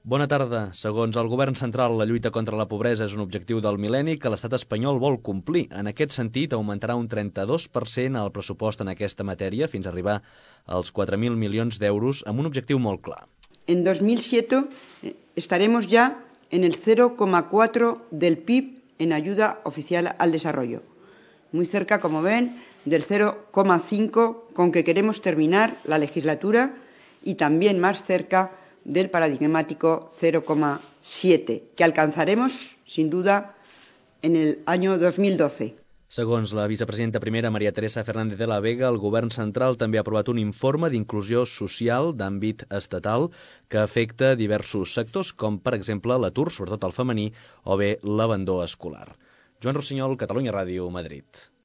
Bona tarda. Segons el govern central, la lluita contra la pobresa és un objectiu del mil·lenni que l'estat espanyol vol complir. En aquest sentit, augmentarà un 32% el pressupost en aquesta matèria fins a arribar als 4.000 milions d'euros amb un objectiu molt clar. En 2007 estaremos ya en el 0,4 del PIB en ayuda oficial al desarrollo. Muy cerca, como ven, del 0,5 con que queremos terminar la legislatura y también más cerca del paradigmático 0,7, que alcanzaremos, sin duda, en el año 2012. Segons la vicepresidenta primera, María Teresa Fernández de la Vega, el govern central també ha aprovat un informe d'inclusió social d'àmbit estatal que afecta diversos sectors, com per exemple l'atur, sobretot el femení, o bé l'abandó escolar. Joan Rossinyol, Catalunya Ràdio, Madrid.